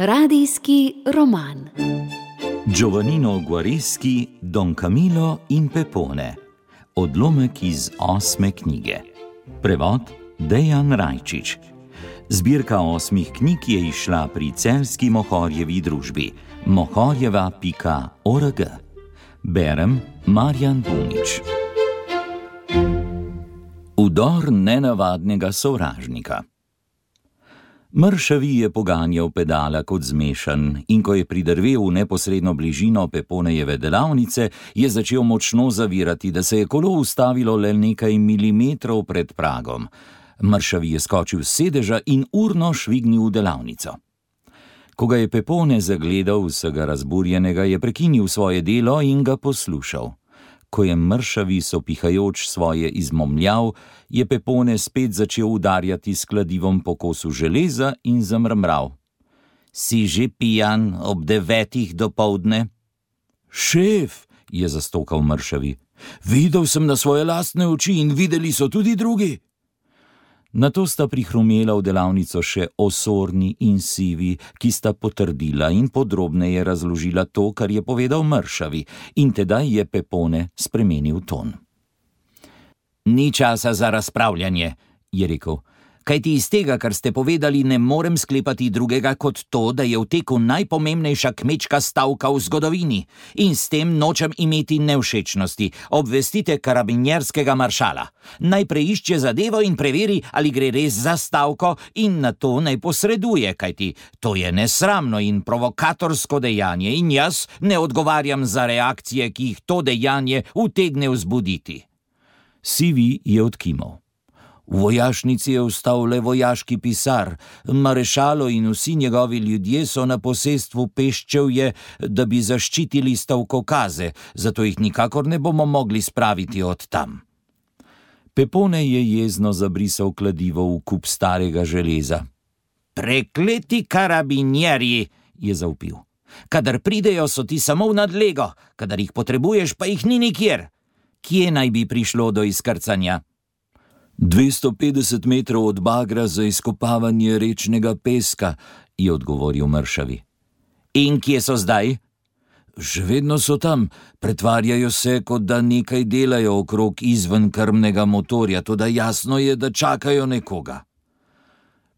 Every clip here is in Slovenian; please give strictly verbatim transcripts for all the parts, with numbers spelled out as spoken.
Radijski roman. Giovannino Guareschi, Don Camillo in Pepone. Odlomek iz osme knjige. Prevod Dejan Rajčič. Zbirka osmih knjig je izšla pri Celjski Mohorjevi družbi mohorjeva pika org. Berem Marjan Bunič. Vdor nenavadnega sovražnika. Mršavi je poganjal pedala kot zmešan in ko je pridrvel v neposredno bližino Peponejeve delavnice, je začel močno zavirati, da se je kolo ustavilo le nekaj milimetrov pred pragom. Mršavi je skočil s sedeža in urno švignil v delavnico. Ko ga je Pepone zagledal vsega razburjenega, je prekinil svoje delo in ga poslušal. Ko je Mršavi sopihajoč svoje izmomljal, je Pepone spet začel udarjati s kladivom po kosu železa in zamrmral. Si že pijan ob devetih dopoldne? Šef, je zastokal Mršavi, videl sem na svoje lastne oči in videli so tudi drugi. Nato sta prihrumela v delavnico še Osorni in Sivi, ki sta potrdila in podrobneje razložila to, kar je povedal Mršavi, in tedaj je Pepone spremenil ton. Ni časa za razpravljanje, je rekel, kajti iz tega, kar ste povedali, ne morem sklepati drugega kot to, da je v teku najpomembnejša kmečka stavka v zgodovini in s tem nočem imeti nevšečnosti. Obvestite karabinjerskega maršala. Naj preišče zadevo in preveri, ali gre res za stavko in na to naj posreduje, kajti to je nesramno in provokatorsko dejanje in jaz ne odgovarjam za reakcije, ki jih to dejanje utegne vzbuditi. Sivi je odkimal. V vojašnici je ostal le vojaški pisar, marešalo in vsi njegovi ljudje so na posestvu Peščevje, da bi zaščitili stavkokaze, zato jih nikakor ne bomo mogli spraviti od tam. Pepone je jezno zabrisal kladivo v kup starega železa. Prekleti karabinjerji, je zavpil. Kadar pridejo, so ti samo v nadlego, kadar jih potrebuješ, pa jih ni nikjer. Kje naj bi prišlo do izkrcanja? dvesto petdeset metrov od bagra za izkopavanje rečnega peska, je odgovoril Mršavi. In kje so zdaj? Še vedno so tam, pretvarjajo se, kot da nekaj delajo okrog izven krmnega motorja, toda jasno je, da čakajo nekoga.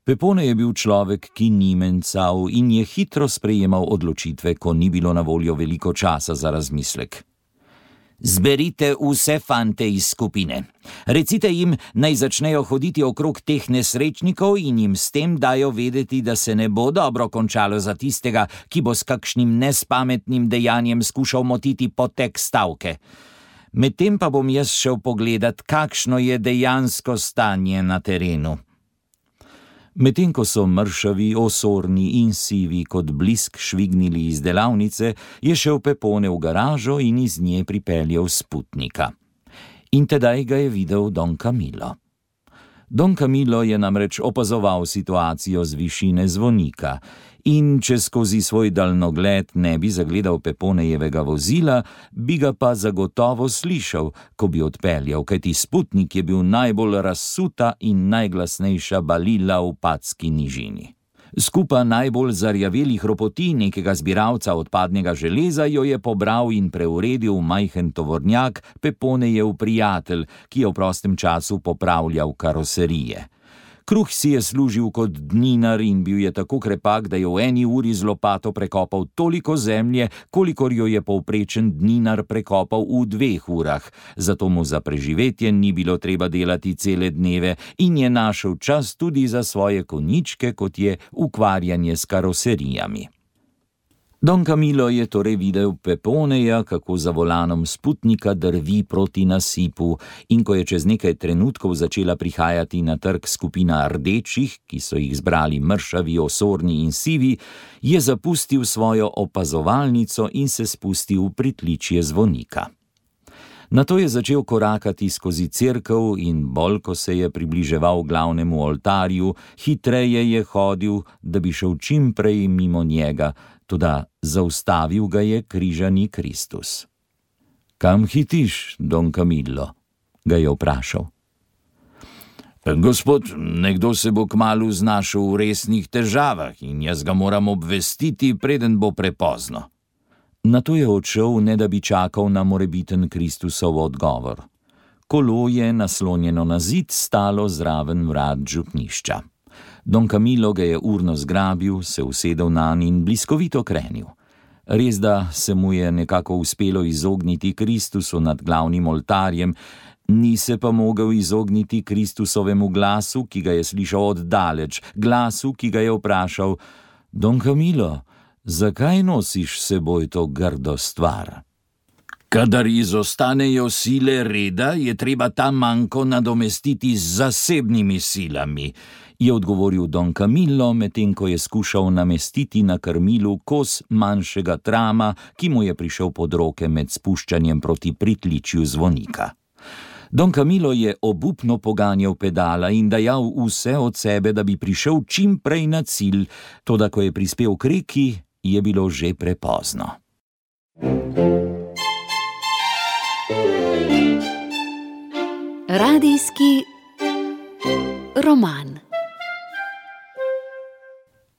Pepone je bil človek, ki ni mencal in je hitro sprejemal odločitve, ko ni bilo na voljo veliko časa za razmislek. Zberite vse fante iz skupine. Recite jim, naj začnejo hoditi okrog teh nesrečnikov in jim s tem dajo vedeti, da se ne bo dobro končalo za tistega, ki bo s kakšnim nespametnim dejanjem skušal motiti potek stavke. Medtem pa bom jaz šel pogledat, kakšno je dejansko stanje na terenu. Medtem ko so Mršavi, Osorni in Sivi kot blisk švignili iz delavnice, je šel Pepone v garažo in iz nje pripeljal sputnika. In tedaj ga je videl Don Camillo. Don Camillo je namreč opazoval situacijo z višine zvonika in če skozi svoj daljnogled ne bi zagledal Peponejevega vozila, bi ga pa zagotovo slišal, ko bi odpeljal, kajti sputnik je bil najbolj razsuta in najglasnejša balila v Padski nižini. Skupa najbolj zarjavelih ropoti nekega zbiralca odpadnega železa jo je pobral in preuredil v majhen tovornjak Peponejev prijatelj, ki je v prostem času popravljal karoserije. Kruh si je služil kot dninar in bil je tako krepak, da je v eni uri z lopato prekopal toliko zemlje, kolikor jo je povprečen dninar prekopal v dveh urah. Zato mu za preživetje ni bilo treba delati cele dneve in je našel čas tudi za svoje konjičke, kot je ukvarjanje s karoserijami. Don Camillo je torej videl Peponeja, kako za volanom sputnika drvi proti nasipu, in ko je čez nekaj trenutkov začela prihajati na trg skupina rdečih, ki so jih zbrali Mršavi, Osorni in Sivi, je zapustil svojo opazovalnico in se spustil v pritličje zvonika. Nato je začel korakati skozi cerkev in bolj, ko se je približeval glavnemu oltarju, hitreje je hodil, da bi šel čim prej mimo njega, toda zaustavil ga je križani Kristus. Kam hitiš, Don Camillo? Ga je vprašal. Gospod, nekdo se bo kmalu znašel v resnih težavah in jaz ga moram obvestiti, preden bo prepozno. Nato je odšel, ne da bi čakal na morebiten Kristusov odgovor. Kolo je, naslonjeno na zid, stalo zraven vrat župnišča. Don Camillo ga je urno zgrabil, se usedel nanj in bliskovito krenil. Res da se mu je nekako uspelo izogniti Kristusu nad glavnim oltarjem, ni se pa mogel izogniti Kristusovemu glasu, ki ga je slišal oddaleč, glasu, ki ga je vprašal: Don Camillo, zakaj nosiš s seboj to grdo stvar? Kadar izostanejo sile reda, je treba ta manko nadomestiti z zasebnimi silami, je odgovoril Don Camillo, medtem ko je skušal namestiti na krmilu kos manjšega trama, ki mu je prišel pod roke med spuščanjem proti pritličju zvonika. Don Camillo je obupno poganjal pedala in dajal vse od sebe, da bi prišel čim prej na cilj, toda ko je prispel k reki, je bilo že prepozno. Radijski roman.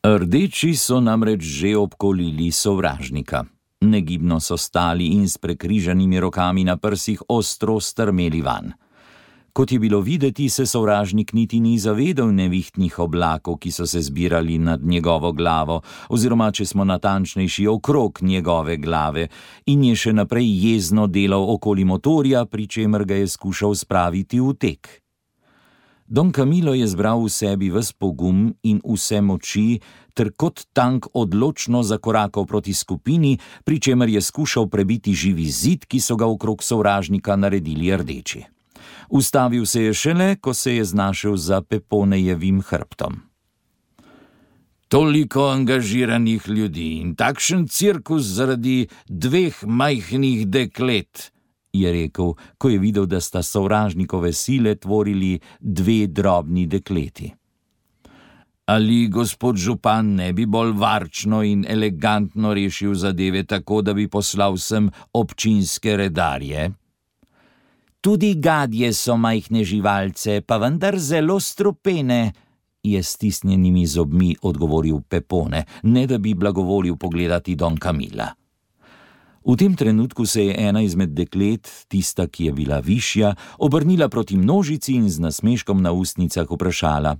Rdeči so namreč že obkolili sovražnika. Negibno so stali in s prekrižanimi rokami na prsih ostro strmeli van. Kot je bilo videti, se sovražnik niti ni zavedal nevihtnih oblakov, ki so se zbirali nad njegovo glavo, oziroma, če smo natančnejši, okrog njegove glave, in je še naprej jezno delal okoli motorja, pri čemer ga je skušal spraviti v tek. Don Camillo je zbral v sebi ves pogum in vse moči, ter kot tank odločno zakorakal proti skupini, pri čemer je skušal prebiti živi zid, ki so ga okrog sovražnika naredili rdeči. Ustavil se je šele, ko se je znašel za Peponejevim hrbtom. Toliko angažiranih ljudi in takšen cirkus zaradi dveh majhnih deklet, je rekel, ko je videl, da sta sovražnikove sile tvorili dve drobni dekleti. Ali gospod župan ne bi bolj varčno in elegantno rešil zadeve tako, da bi poslal sem občinske redarje? Tudi gadje so majhne živalce, pa vendar zelo strupene, je s stisnjenimi zobmi odgovoril Pepone, ne da bi blagovolil pogledati Don Camilla. V tem trenutku se je ena izmed deklet, tista, ki je bila višja, obrnila proti množici in z nasmeškom na ustnicah vprašala: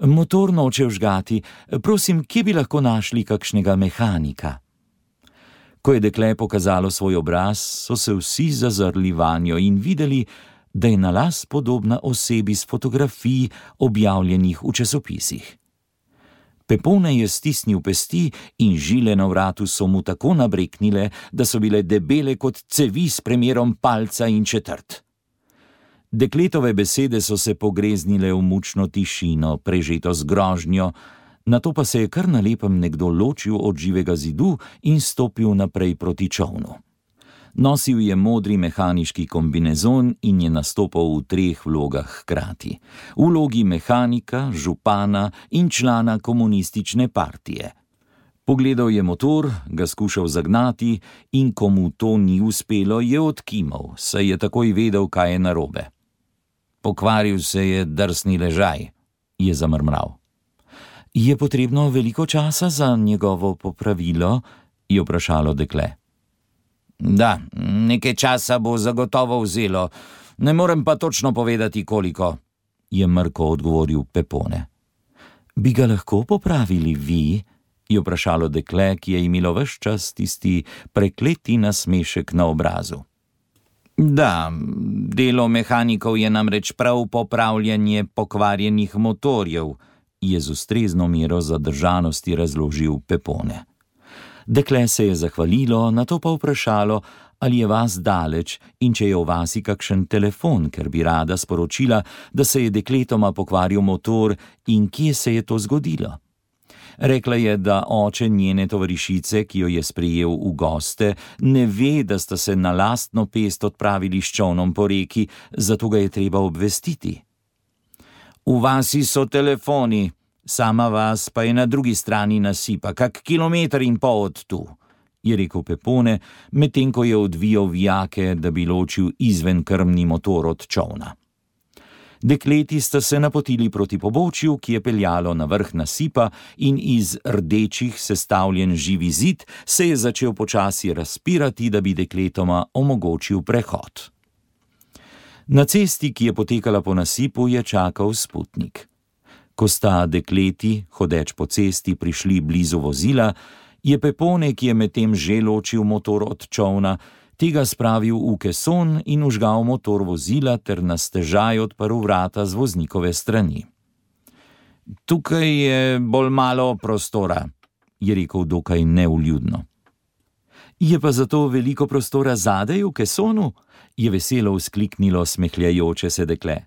Motor noče vžgati, prosim, kje bi lahko našli kakšnega mehanika? Ko je dekle pokazalo svoj obraz, so se vsi zazrli vanjo in videli, da je na las podobna osebi s fotografij, objavljenih v časopisih. Pepone je stisnil pesti in žile na vratu so mu tako nabreknile, da so bile debele kot cevi s premerom palca in četrt. Dekletove besede so se pogreznile v mučno tišino, prežeto z grožnjo, nato pa se je kar na lepem nekdo ločil od živega zidu in stopil naprej proti čolnu. Nosil je modri mehaniški kombinezon in je nastopal v treh vlogah hkrati. V vlogi mehanika, župana in člana komunistične partije. Pogledal je motor, ga skušal zagnati in ko mu to ni uspelo, je odkimal, saj je takoj vedel, kaj je narobe. Pokvaril se je drsni ležaj, je zamrmral. Je potrebno veliko časa za njegovo popravilo? Je vprašalo dekle. Da, nekaj časa bo zagotovo vzelo, ne morem pa točno povedati, koliko, je mrko odgovoril Pepone. Bi ga lahko popravili vi? Je vprašalo dekle, ki je imelo ves čas tisti prekleti nasmešek na obrazu. Da, delo mehanikov je namreč prav popravljanje pokvarjenih motorjev, je z ustrezno mero zadržanosti razložil Pepone. Dekle se je zahvalilo, nato pa vprašalo, ali je vas daleč in če je v vasi kakšen telefon, ker bi rada sporočila, da se je dekletoma pokvaril motor in kje se je to zgodilo. Rekla je, da oče njene tovarišice, ki jo je sprejel v goste, ne ve, da sta se na lastno pest odpravili s čolnom po reki, zato ga je treba obvestiti. V vasi so telefoni, sama vas pa je na drugi strani nasipa, kak kilometer in pol od tu, je rekel Pepone, medtem ko je odvijal vijake, da bi ločil izvenkrmni motor od čolna. Dekleti sta se napotili proti pobočju, ki je peljalo na vrh nasipa, in iz rdečih sestavljen živi zid se je začel počasi razpirati, da bi dekletoma omogočil prehod. Na cesti, ki je potekala po nasipu, je čakal Sputnik. Ko sta dekleti, hodeč po cesti, prišli blizu vozila, je Pepone, ki je medtem že ločil motor od čolna, tega spravil v keson in vžgal motor vozila ter na stežaj odprl vrata z voznikove strani. Tukaj je bolj malo prostora, je rekel dokaj neuljudno. Je pa zato veliko prostora zadaj v kesonu, je veselo vzkliknilo smehljajoče se dekle.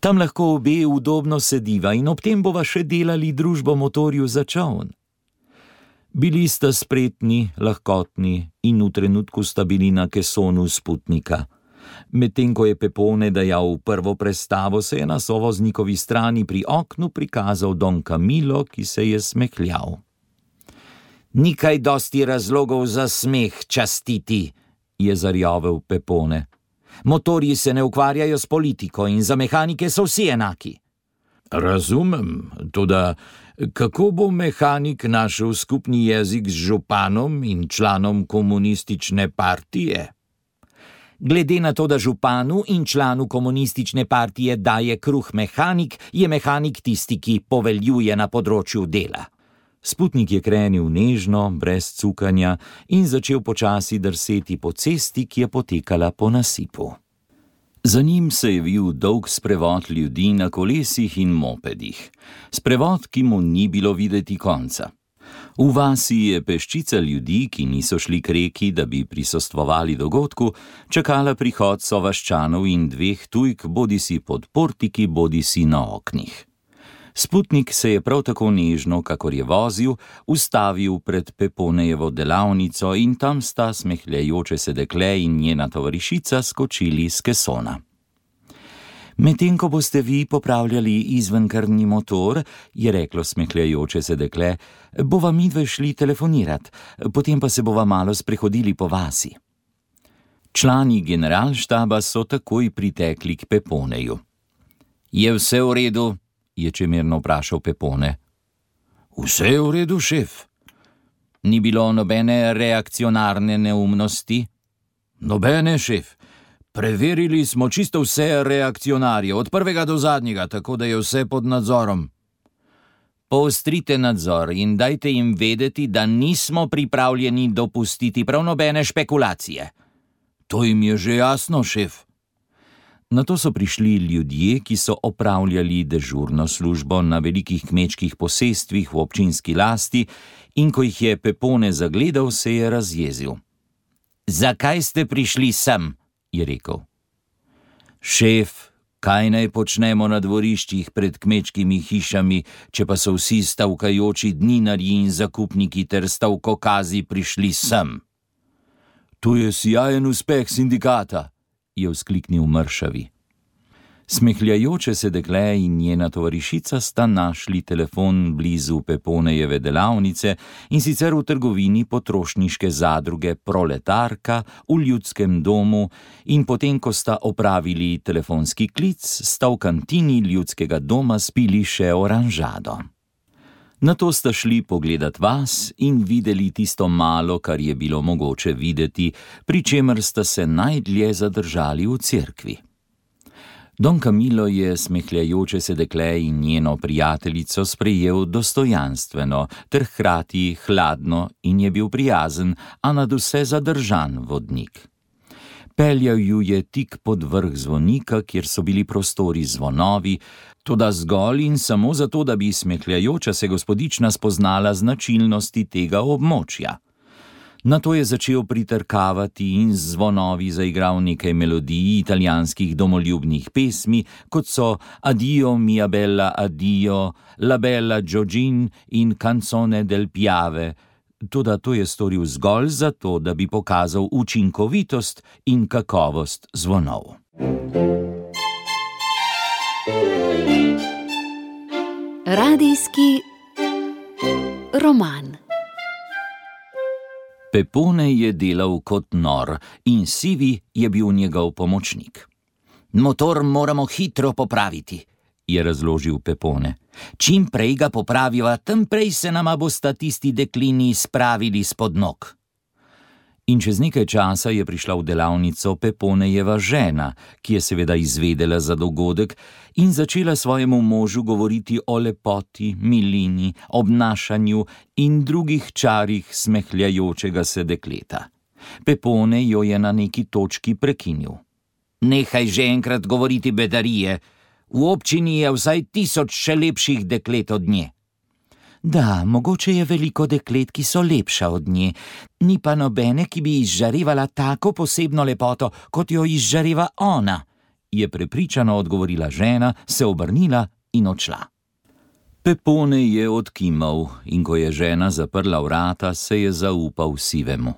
Tam lahko obe udobno sediva in ob tem bova še delali družbo motorju za čoln. Bili sta spretni, lahkotni in v trenutku sta bili na kesonu Sputnika. Medtem ko je Pepone dajal v prvo prestavo, se je na sovoznikovi strani pri oknu prikazal Don Camillo, ki se je smehljal. Ni kaj dosti razlogov za smeh, častiti, je zarjovel Pepone. Motorji se ne ukvarjajo s politiko in za mehanike so vsi enaki. Razumem, toda kako bo mehanik našel skupni jezik z županom in članom komunistične partije? Glede na to, da županu in članu komunistične partije daje kruh mehanik, je mehanik tisti, ki poveljuje na področju dela. Sputnik je krenil nežno, brez cukanja in začel počasi drseti po cesti, ki je potekala po nasipu. Za njim se je vil dolg sprevod ljudi na kolesih in mopedih. Sprevod, ki mu ni bilo videti konca. V vasi je peščica ljudi, ki niso šli k reki, da bi prisostvovali dogodku, čakala prihod sovaščanov in dveh tujk, bodisi pod portiki, bodisi na oknih. Sputnik se je prav tako nežno, kakor je vozil, ustavil pred Peponejevo delavnico in tam sta smehljajoče se dekle in njena tovarišica skočili z kesona. Medtem ko boste vi popravljali izvenkrvni motor, je reklo smehljajoče se dekle, bova midve šli telefonirat, potem pa se bova malo sprehodili po vasi. Člani generalštaba so takoj pritekli k Peponeju. Je vse v redu? Je čemerno vprašal Pepone. Vse je v redu, šef. Ni bilo nobene reakcionarne neumnosti? Nobene, šef. Preverili smo čisto vse reakcionarje, od prvega do zadnjega, tako da je vse pod nadzorom. Poostrite nadzor in dajte jim vedeti, da nismo pripravljeni dopustiti prav nobene špekulacije. To jim je že jasno, šef. Nato so prišli ljudje, ki so opravljali dežurno službo na velikih kmečkih posestvih v občinski lasti, in ko jih je Pepone zagledal, se je razjezil. Zakaj ste prišli sem? Je rekel. Šef, kaj naj počnemo na dvoriščih pred kmečkimi hišami, če pa so vsi stavkajoči dninarji in zakupniki ter stavkokazi prišli sem? To je sijajen uspeh sindikata, je vzkliknil mršavi. Smehljajoče se dekle in njena tovarišica sta našli telefon blizu Peponejeve delavnice in sicer v trgovini potrošniške zadruge Proletarka v Ljudskem domu, in potem, ko sta opravili telefonski klic, sta v kantini Ljudskega doma spili še oranžado. Nato sta šli pogledat vas in videli tisto malo, kar je bilo mogoče videti, pri čemer sta se najdlje zadržali v cerkvi. Don Camillo je smehljajoče se dekle in njeno prijateljico sprejel dostojanstveno ter hkrati hladno in je bil prijazen, a nadvse zadržan vodnik. Peljal ju je tik pod vrh zvonika, kjer so bili prostori zvonovi, toda zgolj in samo zato, da bi smehljajoča se gospodična spoznala značilnosti tega območja. Nato je začel pritrkavati in z zvonovi zaigral nekaj melodij italijanskih domoljubnih pesmi, kot so Addio mia bella addio, La bella Giorgin in Canzone del Piave, toda to je storil zgolj zato, da bi pokazal učinkovitost in kakovost zvonov. Radijski roman. Pepone je delal kot nor in Sivi je bil njegov pomočnik. Motor moramo hitro popraviti, je razložil Pepone. Čim prej ga popraviva, tem prej se nama bosta tisti deklini spravili spod nog. In čez nekaj časa je prišla v delavnico Peponejeva žena, ki je seveda izvedela za dogodek in začela svojemu možu govoriti o lepoti, milini, obnašanju in drugih čarih smehljajočega se dekleta. Pepone jo je na neki točki prekinil. Nehaj že enkrat govoriti bedarije. V občini je vsaj tisoč še lepših deklet od nje. Da, mogoče je veliko deklet, ki so lepša od nje, ni pa nobene, ki bi izžarevala tako posebno lepoto, kot jo izžareva ona, je prepričano odgovorila žena, se obrnila in odšla. Pepone je odkimal in ko je žena zaprla vrata, se je zaupal sivemu.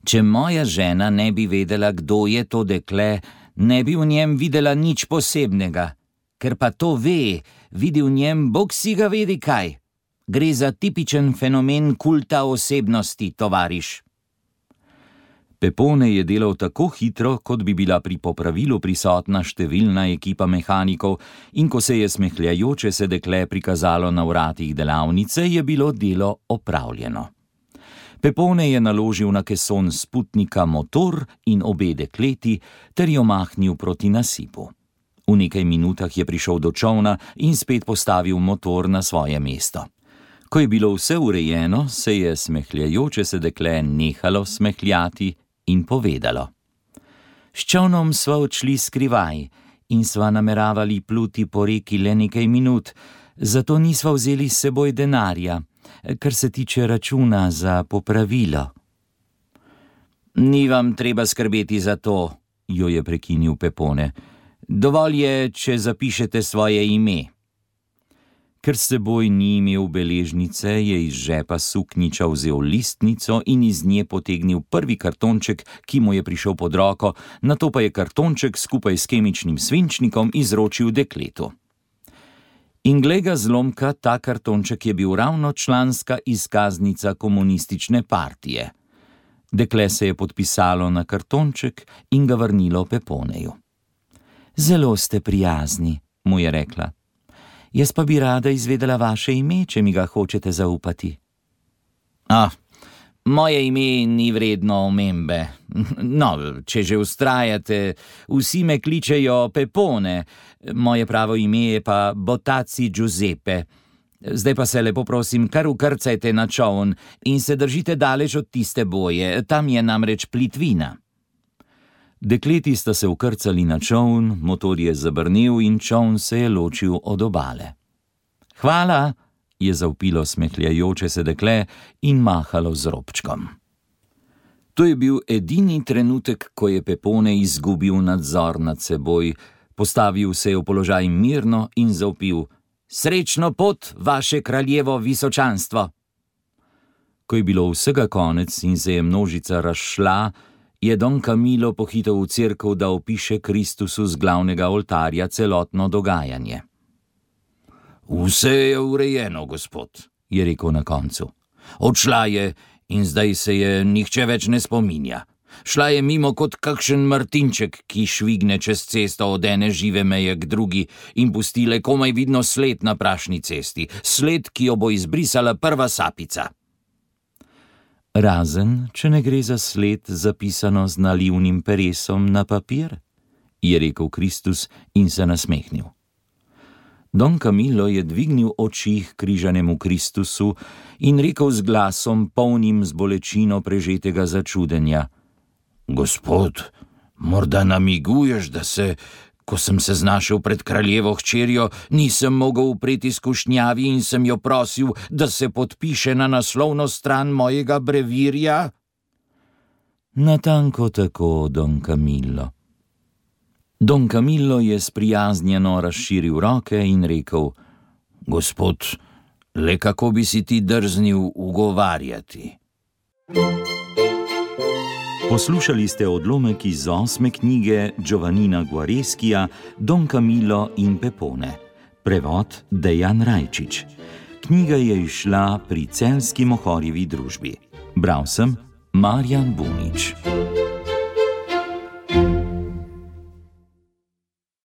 Če moja žena ne bi vedela, kdo je to dekle, ne bi v njem videla nič posebnega. Ker pa to ve, vidi v njem bog si ga vedi kaj. Gre za tipičen fenomen kulta osebnosti, tovariš. Pepone je delal tako hitro, kot bi bila pri popravilu prisotna številna ekipa mehanikov, in ko se je smehljajoče se dekle prikazalo na vratih delavnice, je bilo delo opravljeno. Pepone je naložil na keson sputnika motor in obe dekleti ter jo mahnil proti nasipu. V nekaj minutah je prišel do čolna in spet postavil motor na svoje mesto. Ko je bilo vse urejeno, se je smehljajoče se dekle nehalo smehljati in povedalo. S čolnom sva odšli skrivaj in sva nameravali pluti po reki le nekaj minut, zato nisva vzeli s seboj denarja, kar se tiče računa za popravilo. Ni vam treba skrbeti za to, jo je prekinil Pepone. Dovolj je, če zapišete svoje ime. Ker s seboj ni imel beležnice, je iz žepa suknjiča vzel listnico in iz nje potegnil prvi kartonček, ki mu je prišel pod roko, nato pa je kartonček skupaj s kemičnim svinčnikom izročil dekletu. In glej ga zlomka, ta kartonček je bil ravno članska izkaznica komunistične partije. Dekle se je podpisalo na kartonček in ga vrnilo Peponeju. Zelo ste prijazni, mu je rekla. Jaz pa bi rada izvedela vaše ime, če mi ga hočete zaupati. Ah, moje ime ni vredno omembe. No, če že vztrajate, vsi me kličejo Pepone, moje pravo ime je pa Botaci Giuseppe. Zdaj pa se lepo prosim, kar ukrcajte na čoln in se držite daleč od tiste boje, tam je namreč plitvina. Dekleti sta se ukrcali na čoln, motor je zabrnel in čoln se je ločil od obale. Hvala, je zavpilo smehljajoče se dekle in mahalo z robčkom. To je bil edini trenutek, ko je Pepone izgubil nadzor nad seboj, postavil se je v položaj mirno in zavpil: Srečno pot, vaše kraljevo visočanstvo! Ko je bilo vsega konec in se je množica razšla, je Don Camillo pohitel v cerkev, da opiše Kristusu z glavnega oltarja celotno dogajanje. Vse je urejeno, gospod, je rekel na koncu. Odšla je in zdaj se je nihče več ne spominja. Šla je mimo kot kakšen Martinček, ki švigne čez cesto od ene žive meje k drugi in pusti le komaj vidno sled na prašni cesti, sled, ki jo bo izbrisala prva sapica. Razen, če ne gre za sled zapisano z nalivnim peresom na papir, je rekel Kristus in se nasmehnil. Don Camillo je dvignil oči k križanemu Kristusu in rekel z glasom, polnim z bolečino prežetega začudenja: Gospod, morda namiguješ, da se, ko sem se znašel pred kraljevo hčerjo, nisem mogel upreti skušnjavi in sem jo prosil, da se podpiše na naslovno stran mojega brevirja? Natanko tako, Don Camillo. Don Camillo je sprijaznjeno razširil roke in rekel: Gospod, le kako bi si ti drznil ugovarjati? Poslušali ste odlomek iz osme knjige Giovannina Guareskija Don Camillo in Pepone. Prevod Dejan Rajčič. Knjiga je izšla pri Celjski Mohorjevi družbi. Bral sem Marjan Bunič.